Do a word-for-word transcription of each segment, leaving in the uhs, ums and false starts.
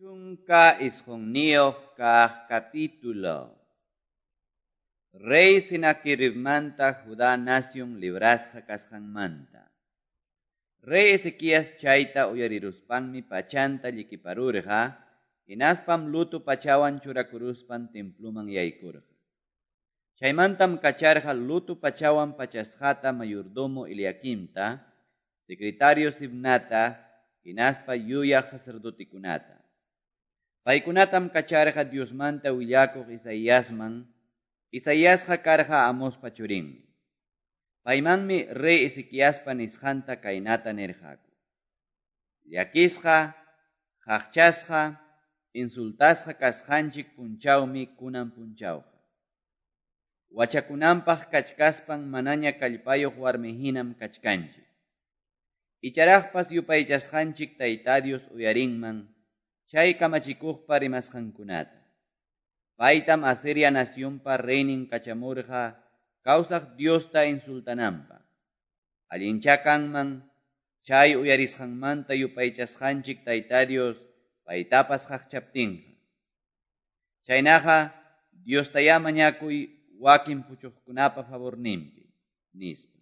Chunka isqunniyuq kaq capítulo. Rey Senaqueribmanta Judá nación librasqa kasqanmanta. Rey Ezequías chayta uyariruspanmi pachanta llikiparurqa, hinaspam luto pachawan churakuruspan temploman yaykurqa. Chaymantam kacharqa luto pachawan pachasqata mayordomo Eliaquimta, secretario Sibnata, hinaspa yuyaq sacerdotekunata. Paykunatam kacharqa Diosmanta willakuq Isaíasman, Isaíasqa karqa Amospa churinmi. Paymanmi rey Ezequiaspa nisqanta kaynata nirqaku. Llakisqa, qaqchasqa, insultasqa kasqanchik punchawmi kunan punchawqa. Wachakunanpaq kachkaspan manaña kallpayuq warmihinam kachkanchik. Icharaqpas yupaychasqanchik Tayta Dios uyarinman, chay kamachikuqpa rimasqankunata. Paytam Asiria nacionpa reynin kachamurqa kawsaq Diosta insultananpaq. Allincha kanman chay uyarisqanmanta yupaychasqanchik Tayta Dios paytapas qaqchaptinqa. Chaynaqa Diostayá mañakuy wakin puchuqkunapa favorninpi, nispa.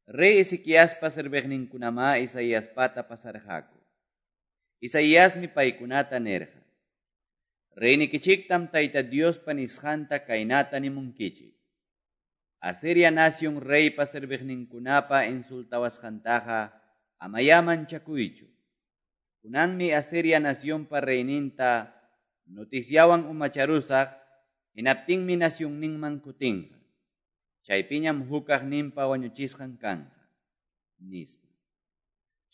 Rey Ezequiaspa serviqninkunamá Isaiaspata pasarqaku. Isaíasmi paykunata nirqa. Reynikichiktam Tayta Diospa nisqanta kaynata nimunkichik. Asiria nación reypa serviqninkunapa insultawasqantaqa amayá manchakuychu. Kunanmi Asiria nacionpa reyninta noticiawan umacharusaq, hinaptinmi nacionninman kutinqa. Chaypiñam hukaqninpa wañuchisqan kanqa, nispa.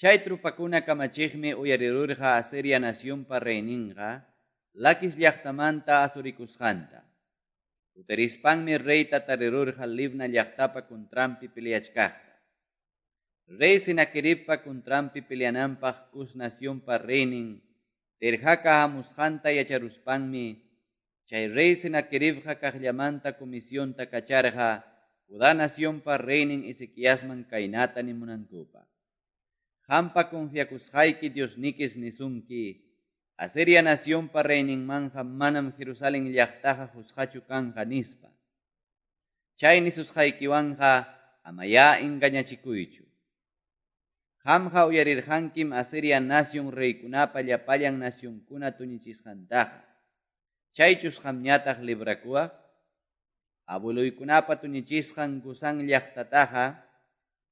Chay trupakuna kamachiqmi uyarirurqa Asiria nacionpa reyninqa, Laquis llaqtamanta asurikusqanta. Kutirispanmi reyta tarirurqa Libna llaqtapa contranpi peleachkaqta. Rey Senaqueribpa contranpi peleananpaq Cus nacionpa reynin Tirhaka hamusqanta yacharuspanmi, chay rey Senaqueribqa kaqllamanta comisionta kacharqa Judá nacionpa reynin Ezequiasman kaynata nimunankupaq. Qampa confiakusqayki Diosnikis nisunki, Asiria nacionpa reyninmanja manam Jerusalén llaqtaqa qusqachu kanqa nispa. Chay nisusqaykiwanqa amayá engañachikuychu. Qamqa uyarirqankim Asiria nación reykunapa llapallan nacionkuna tuñichisqantaqa. Chaychus qamñataq librakuwaq? Abueluykunapa tuñichisqan Gozán llaqtataqa,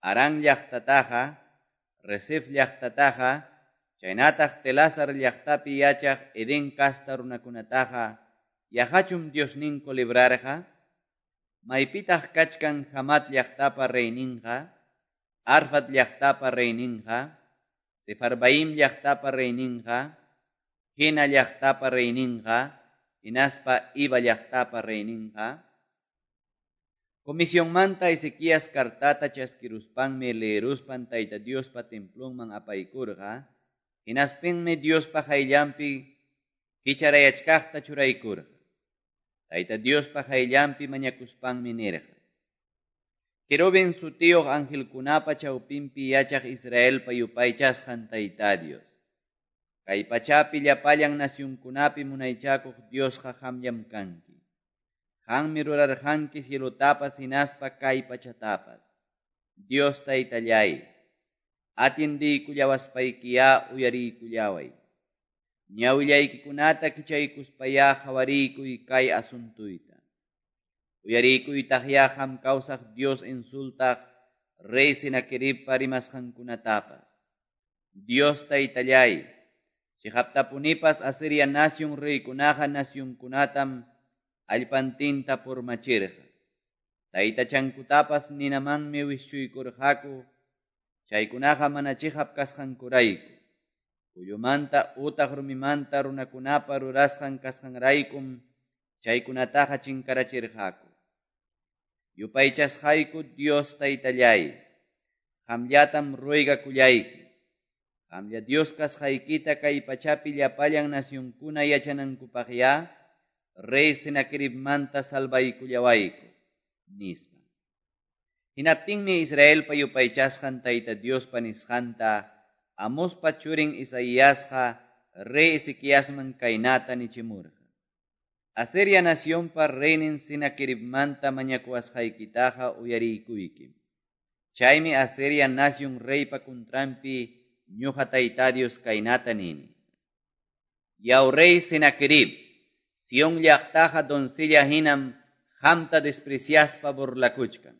Harán llaqtataqa, Resef llaqtataqa, chaynataq Telasar llaqtapi yachaq Edén kasta runakunataqa, yaqachum Diosninku librarqa? Maypitaq kachkan Hamat llaqtapa reyninqa, Arfad llaqtapa reyninqa, Sefarvaim llaqtapa reyninqa, Hena llaqtapa reyninqa, hinaspa Iva llaqtapa reyninqa? Comisionmanta Ezequías kartata chaskiruspanmi leeruspan Tayta Diospa templonman apaykurqa, hinaspinmi Diospa qayllanpi kicharayachkaqta churaykurqa. Tayta Diospa qayllanpi mañakuspanmi nirqa. Querubín sutiyuq angelkunapa chawpinpi yachaq Israelpa yupaychasqan Tayta Dios. Kay pachapi llapallan nacionkunapi munaychakuq Diosqa qamllam kanki. Qanmi rurarqanki cielotapas hinaspa kay pachatapas. Dios Taytallay, atiendiykullawaspaykiyá uyariykullaway. Ñawillaykikunata kichaykuspayá qhawariykuy kay asuntuyta. Uyariykuytaqyá qam kawsaq Dios insultaq rey Senaqueribpa rimasqankunatapas. Dios Taytallay, chiqaptapunipas Asiria nación reykunaqa nacionkunatam allpantinta purmachirqa. Taytachankutapas ninamanmi wischuykurqaku, chaykunaqa mana chiqap kasqankurayku. Kullumanta utaq rumimanta runakunapa rurasqan kasqanraykum chaykunataqa chinkarachirqaku. Yupaychasqayku Dios Taytallay, qamllatam ruegakullayki. Qamlla Dios kasqaykita kay pachapi llapallan nacionkuna yachanankupaqyá, rey Senaqueribmanta salvaykullawayku, nispa. Hinaptinmi Israelpa yupaychasqan Tayta Diospa nisqanta, Amospa churin Isaíasqa rey Ezequiasman kaynata nichimurqa, Asiria nacionpa reynin Senaqueribmanta mañakuwasqaykitaqa uyariykuykim. Chaymi Asiria nacion reypa contranpi ñuqa Tayta Dios kaynata nini. Yaw rey Senaquerib, Sion llaqtaqa doncella hinam qamta despreciaspa burlakuchkan.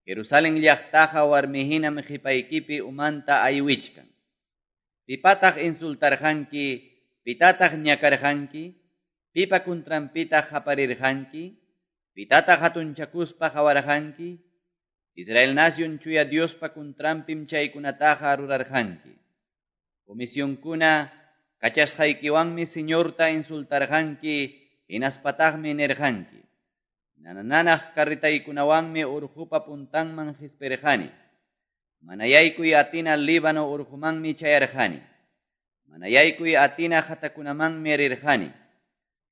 Jerusalén llaqtaqa warmi hinam qipaykipi umanta aywichkan. Pipataq insultarqanki, pitataq ñakarqanki, pipa contranpitaq qaparirqanki, pitataq hatunchakuspa qawarqanki, Israel nacion chuya Diospa contranpim chaykunataqa rurarqanki. Comisionkuna kachasqaykiwanmi Señorta insultarqanki, hinaspataqmi nirqanki. Nanananaq carretaykunawanmi urqupa puntanman qispirqani. Manayaykuy atina Líbano urqumanmi chayarqani. Manayaykuy atina qatakunamanmi rirqani.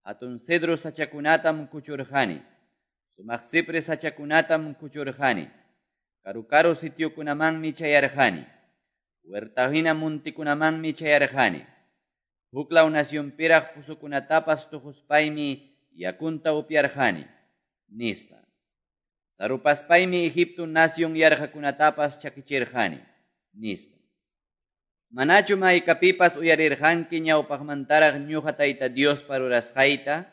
Hatun cedro sachakunatam kuchurqani. Sumaq cipre sachakunatam kuchurqani. Karu-karu sitiokunamanmi chayarqani. Huerta hina muntikunamanmi chayarqani. Huklaw nacionpiraq pusukunatapas tuquspaymi yakunta upyarqani, nispa. Sarupaspaymi Egipto nacion yarqakunatapas chakichirqani, nispa. Manachu maykapipas uyarirqanki ñawpaqmantaraq ñuqa Tayta Diospa rurasqayta,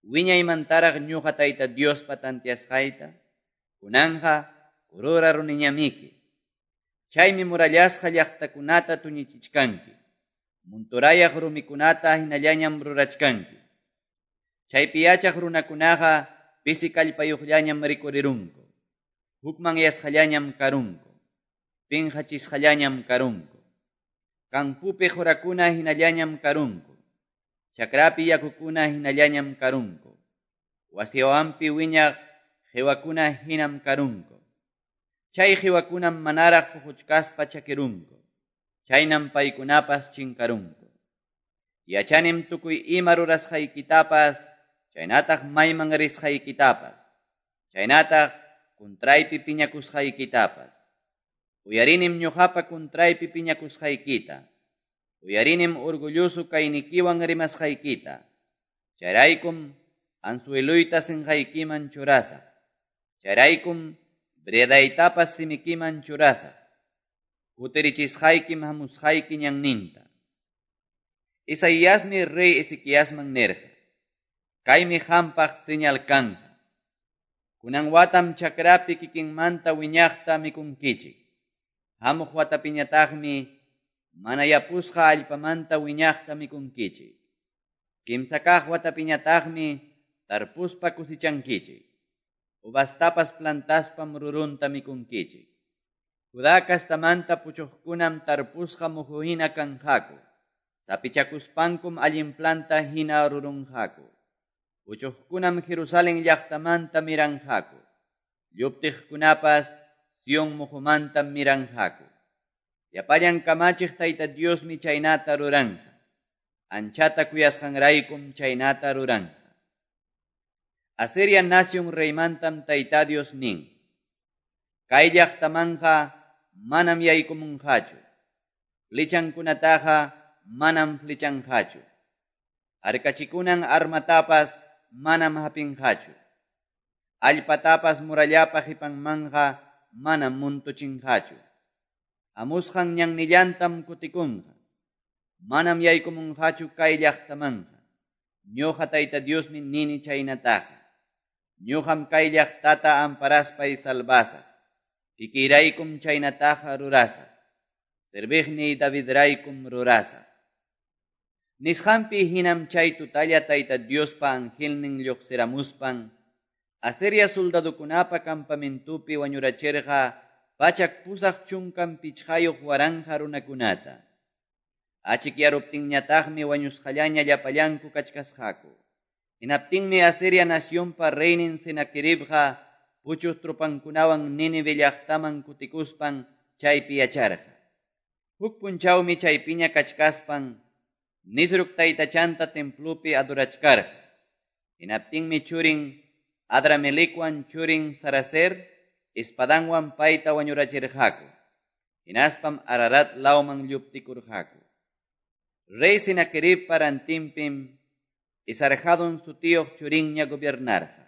wiñaymantaraq ñuqa Tayta Diospa tantiasqayta, kunanja kurura runiñamiki. Chaymi murallasqa llaqtakunata tuñichichkanki, munturayaq rumikunata hinallañam rurachkanki. Chaypi yachaq runakunaqa pisi kallpayuqllañam rikurirunku, hukmanyasqallañam karunku, pinqachisqallañam karunku. Kampupi qurakuna hinallañam karunku, chakrapi yakukuna hinallañam karunku, wasiwanpi wiñaq qiwakuna hinam karunku. Chay qiwakunam manaraq puquchkaspa chakirunku, chaynam paykunapas chinkarunku. Yachanim tukuy ima rurasqaykitapas, chaynataq mayman risqaykitapas, chaynataq kuntraypi piñakusqaykitapas. Uyarinim ñuqapa kuntraypi piñakusqaykita, uyarinim orgulloso kaynikiwan rimasqaykita. Chayraykum anzueluyta sinqaykiman churasaq, chayraykum bredaytapas simikiman churasaq, kutirichisqaykim hamusqayki ñanninta. Isaíasmi rey Ezequiasman nirqa, kaymi qampaq señal kanqa. Kunan watam chakrapi kikinmanta wiñaqta mikunkichik. Hamuq watapiñataqmi mana yapusqa allpamanta wiñaqta mikunkichik. Kimsa kaq watapiñataqmi tarpuspa kusichankichik. Uvastapas plantaspam rurunta mikunkichik. Judá kastamanta puchuqkunam tarpusqa muhu hina kanqaku. Sapichakuspankum allin planta hina rurunqaku. Puchuqkunam Jerusalén llaqtamanta miranqaku. Lluptiqkunapas Sion muhumanta miranqaku. Llapallan kamachiq Tayta Diosmi chaynata ruranqa. Anchata kuyasqanraykum chaynata ruranqa. Asiria nacion reymantam Tayta Dios nin. Kay llaqtamanqa manam yaykumunqachu. Flechankunataqa manam flechanqachu. Harkachikunan armatapas manam hapinqachu. Allpatapas murallapa qipanmanqa manam muntuchinqachu. Hamusqan ñannillantam kutikunqa. Manam yaykumunqachu kay llaqtamanqa. Ñuqa Tayta Diosmi nini chaynataqa. Ñuqam kay llaqtata amparaspay salvasaq. Kikiyraykum chaynataqa rurasaq. Serviqniy Davidraykum rurasaq. Nisqanpi hinam chay tutalla Tayta Diospa angelnin lluqsiramuspan Asiria soldadukunapa campamentupi wañurachirqa pachak pusaq chunkan pichqayuq waranqa runakunata. Achikyaruptinñataqmi wañusqallaña llapallanku kachkasqaku. Hinaptinmi Asiria nacionpa reynin Senaqueribqa puchuq tropankunawan Nínive llaqtaman kutikuspan chaypi yacharqa. Huk punchawmi chaypiña kachkaspan Nisruk taytachanta templupi adorachkarqa. Hinaptinmi churin Adramelecwan churin Saraser espadanwan payta wañurachirqaku. Hinaspam Ararat lawman lluptikurqaku. Rey Senaqueribpa rantinpim Esarhadon sutiyoq churinña gobiernarqa.